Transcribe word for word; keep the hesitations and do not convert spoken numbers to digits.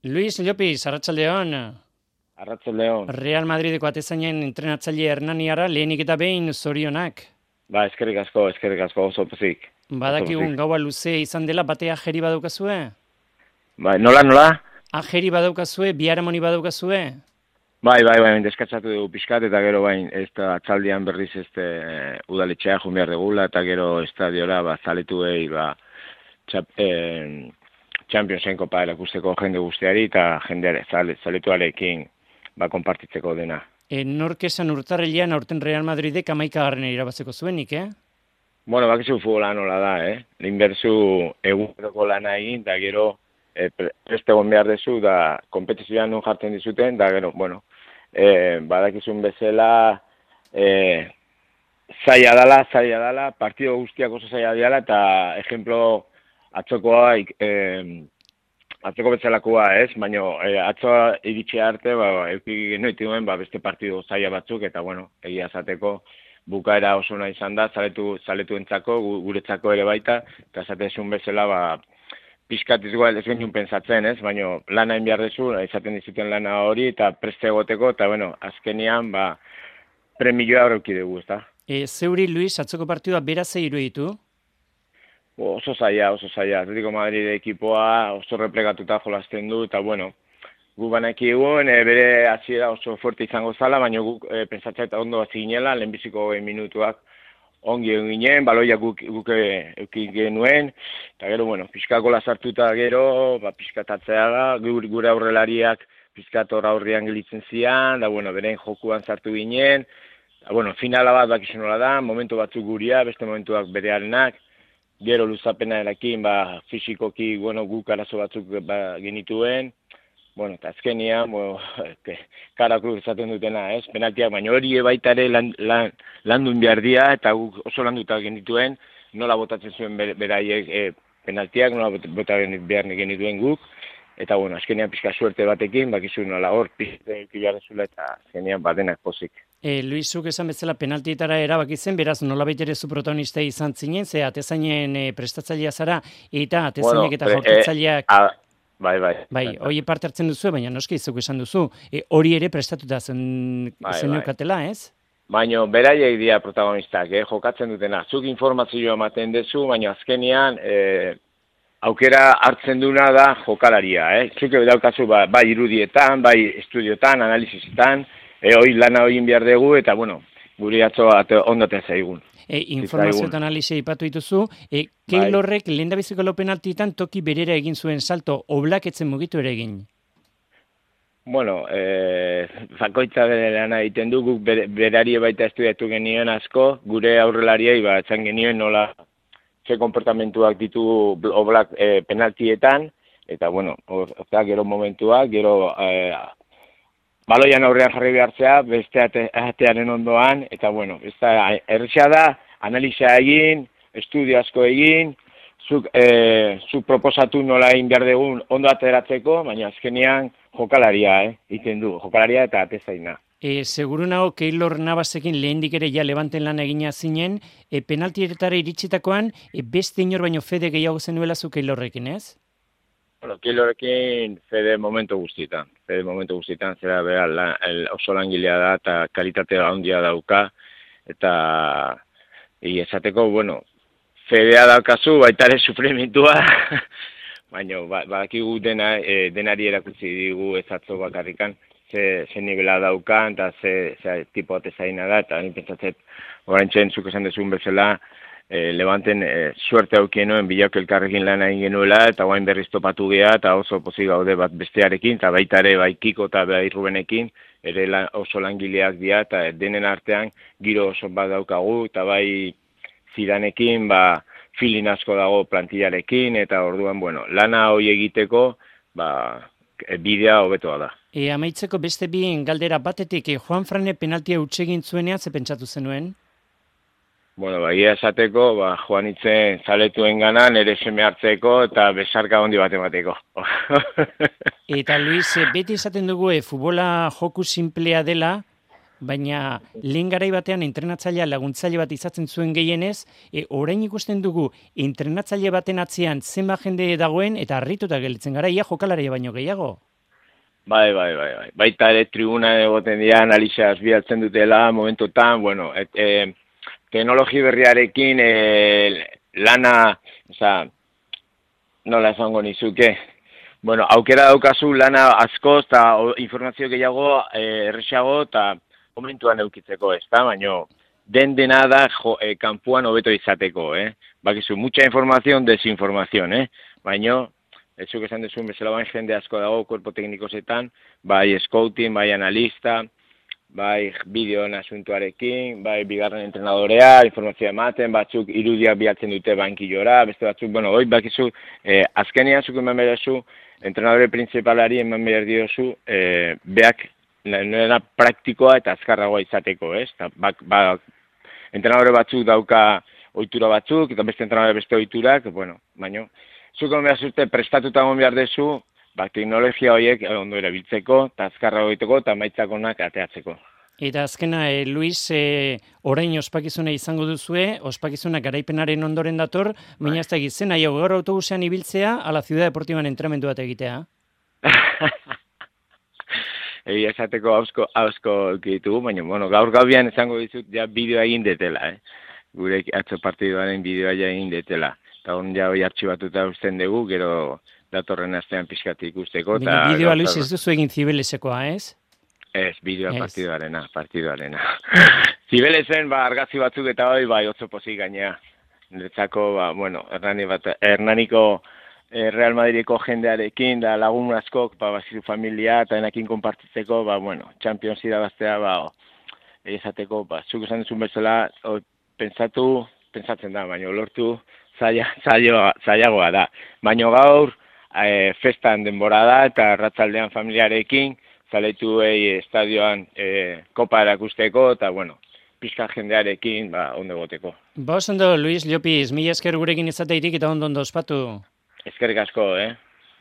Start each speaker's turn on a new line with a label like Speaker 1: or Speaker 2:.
Speaker 1: Luis Llopis, arratsaldeon.
Speaker 2: Arratsaldeon.
Speaker 1: Real Madrideko atezainen entrenatzaile Hernaniara lehenik eta behin zorionak.
Speaker 2: Ba, eskerrik asko, eskerrik asko oso pozik. Oso
Speaker 1: Badakigun
Speaker 2: pozik.
Speaker 1: gaua luze izan dela, batea ajeri badaukazue?
Speaker 2: Bai, nola, nola?
Speaker 1: Ajeri badaukazue, biharamoni badaukazue?
Speaker 2: Bai, bai, bai, deskatzatu dugu pixkat, eta gero bain, ez da atzaldian berriz ez de, udaletxea jun behar degula, eta gero estadiora, ba, zaletuei, ba, txap, eh, Championsen kopa erakusteko jende guztiari, eta jendeare, zale, zaletuarekin, ba, konpartitzeko dena.
Speaker 1: E, nork esan urtarrilean aurten Real Madridek hamaikagarrena irabazeko zuenik, eh?
Speaker 2: Bueno, bakizu futbola nola da, eh? Lehinberzu eguneroko lana egin, da gero e, preste egon behar dezu, da kompetizioan nun jartzen dizuten, da gero, bueno, e, badakizun bezala e, zaila dala, zaila dala, partido guztiak oso zaila diala, eta ejemplo atzokoa, e, atzoko betzalakoa, ez? Baina e, atzoa iritsi arte, ba, euki genoiti duen, ba, beste partido zaila batzuk, eta bueno, egia zateko, bukaera oso nahi izan da, zaletu, zaletuentzako, guretzako ere baita, eta zatezun bezala, ba, pixkat izgoa ez genuen pensatzen, ez? Baina lana egin behar dezu, izaten dizuten lana hori, eta preste egoteko, eta bueno, azkenian, ba, premioa horreuki dugu, ez da?
Speaker 1: E, zeuri, Luis, atzoko partidua beraz eiru ditu?
Speaker 2: Oso zaila, oso zaila. Atletico Madrid ekipoa oso replegatuta jolasten du, eta bueno, gu banaki egun, e, bere hasiera oso fuerte izango zala, baina guk e, pentsatzea eta ondo hasi ginela, lehenbiziko minutuak ongi egin ginen, baloia guk, guk euki genuen, eta gero, bueno, pixkakola sartuta gero, ba, pixkatatzea da, gure, gure aurrelariak pixkator aurrean gelitzen zian, da, bueno, beren jokuan sartu ginen, da, bueno, finala bat bakizun nola da, momentu batzuk guria, beste momentuak berearenak, gero luzapena erakin, ba, fizikoki, bueno, guk arazo batzuk ba, genituen, bueno, eta azkenian, bueno, karakru izaten dutena, ez, penaltiak, baina hori baitare lan, lan, landun behar dia, eta guk oso landuta genituen, nola botatzen zuen beraiek e, penaltiak, nola botatzen behar genituen guk, eta, bueno, azkenian pixka suerte batekin, bakizu nola hor, pizte kilarrezula, eta azkenian badenak pozik.
Speaker 1: E, Luisuk esan bezala penaltietara erabaki zen, beraz nolabait ere zu protagonista izan zinen, ze atezainen e, prestatzailea zara, eta atezainek
Speaker 2: Bueno,
Speaker 1: eta jaurtitzaileak...
Speaker 2: E, a, bai, bai.
Speaker 1: Bai, hori parte hartzen duzu, baina noski izuk esan duzu, e, hori ere prestatuta zen,
Speaker 2: bai,
Speaker 1: zen
Speaker 2: bai.
Speaker 1: neukatela, ez?
Speaker 2: Baina beraiek dira protagonistak, eh, jokatzen dutena. Zuk informazioa ematen duzu, baina azkenian e, aukera hartzen duna da jokalaria. Eh. Zuk daukazu ba, bai irudietan, bai estudiotan, analizisetan, e, hori lana hori behar dugu, eta bueno, guri atzo ondaten zaigun.
Speaker 1: E, informazio eta analizia ipatu dituzu, e, Keylorrek bai. Lehendabiziko lau penaltitan toki berera egin zuen salto, Oblak etzen mugitu ere egin.
Speaker 2: Bueno, e, zakoitza bere lana egiten du, guk ber, berari baita estudiatu genioen asko, gure aurrelariei ba, etzan genioen nola ze konportamentuak ditu Oblak e, penaltietan, eta bueno, orta gero momentuak, gero e, baloian aurrean jarri behartzea, beste ate, atearen ondoan, eta bueno, ez da, errexea da, analizia egin, estudio asko egin, zuk, e, zuk proposatu nola egin behar dugun ondo ateratzeko, baina azkenean jokalaria, eh, egiten du, jokalaria eta atezaina.
Speaker 1: E, seguru nago Keylor Navasekin lehendik ere ja Levanten lan egina zinen, e, penaltietara iritsitakoan, e, beste inor baino fede gehiago zenuela zu Keylorrekin, ez?
Speaker 2: Bueno, Keylorrekin fede momentu guztietan, fede momentu guztietan, zera bera la, el, oso langilea da eta kalitatea handia dauka, eta e, esateko, bueno, fedea daukazu, baita ere sufrimentua, baina badakigu dena, e, denari erakutsi digu ezatzo bakarrikan, ze, ze nivela daukan, eta ze, ze tipo atezaina da, eta ni pentsatzet, orain txen, zuk esan dezun bezala, e, Levanten e, suerte aukienoen bilauk elkarrekin lan egin genuela, eta guain berriz topatu geha, eta oso pozik gaude bat bestearekin, eta baita ere bai Kiko eta bai Rubenekin, ere lan, oso langileak dira, eta denen artean giro oso bat daukagu, eta bai Zidanekin, ba, filin asko dago plantillarekin, eta orduan, bueno, lana hori egiteko, ba, bidea hobetoa da.
Speaker 1: E, amaitzeko beste bien galdera batetik, e, Juan Frane penaltia hutsegin zuenean, ze pentsatu zenuen?
Speaker 2: Bueno, ba, ia esateko, ba, Juan itzen zaletuen ganan, ere seme hartzeko, eta besarka hondi bat emateko.
Speaker 1: Eta Luis, beti esaten dugu, e, futbola joku simplea dela, baina lehen garai batean entrenatzailea laguntzaile bat izatzen zuen gehienez, e, orain ikusten dugu entrenatzaile baten atzean zenba jende dagoen eta harrituta gelditzen gara, ia jokalaria baino gehiago.
Speaker 2: Bai, bai, bai, bai. Baita ere tribuna egoten dira, analizaz bialtzen dutela, momentotan, bueno, et, e, teknologi berriarekin e, lana, oza, nola esango nizuke, bueno, aukera daukazu lana askoz eta informazio gehiago e, erresago eta momentuan eukitzeko, ez da, baina den dena da jo, e, kanpuan hobeto izateko, eh? Bakizu, mucha información, desinformación, eh? Baina, ez zuk esan dezun bezala bain jende asko dago, kuerpo teknikosetan, bai scouting, bai analista, bai bideoen asuntuarekin, bai bigarren entrenadorea, informazioa ematen, batzuk irudiak bilatzen dute bankillora, beste batzuk, bueno, hoi bakizu, eh, azkenean zuk eman berezu, entrenadore principalari eman behar diozu, eh, beak, nena praktikoa eta azkarragoa izateko, ez? Ta, bak, bak, entrenadore batzuk dauka ohitura batzuk, eta beste entrenadore beste ohiturak, bueno, baino, zuk eman behar zute prestatuta egon behar dezu, ba, teknologia horiek ondo erabiltzeko, eta azkarra egiteko, eta maitzak onak ateatzeko.
Speaker 1: Eta azkena, e, Luis, e, orain ospakizuna izango duzue, ospakizuna garaipenaren ondoren dator, baina ez da egitzen, nahi gaur autobusean ibiltzea, ala Ciudad Deportiban entrenamendu bat egitea.
Speaker 2: Egia esateko hausko, hausko ditugu, baina, bueno, gaur gaubian izango dizut, ja bideoa egin detela, eh? Gure atzo partiduaren bideoa ja egin detela. Eta hon ja hoi artxibatuta usten dugu, gero datorren astean pixkati ikusteko.
Speaker 1: Baina bideoa, Luis, ez duzu egin Zibelesekoa, ez?
Speaker 2: Ez, bideoa partiduarena, partiduarena. Zibelesen, ba, argazi batzuk eta hoi, bai, otzo pozik gainea. Niretzako, ba, bueno, Hernani bat, Hernaniko eh, Real Madrideko jendearekin, da lagun askok, ba, bazizu familia, eta enakin konpartitzeko, ba, bueno, Champions irabaztea, ba, egizateko, ba, zuk esan duzun bezala, o, pentsatu, pentsatzen da, baina lortu, zaila, zaila, zailagoa da. Baina gaur, e, festan denbora da, eta ratzaldean familiarekin, zaletu egi estadioan e, kopa erakusteko, eta, bueno, pixka jendearekin, ba, ondo goteko.
Speaker 1: Ba, ondo, Luis Llopis, mila esker gurekin izateirik eta ondo ondo ospatu.
Speaker 2: Eskerrik asko, eh?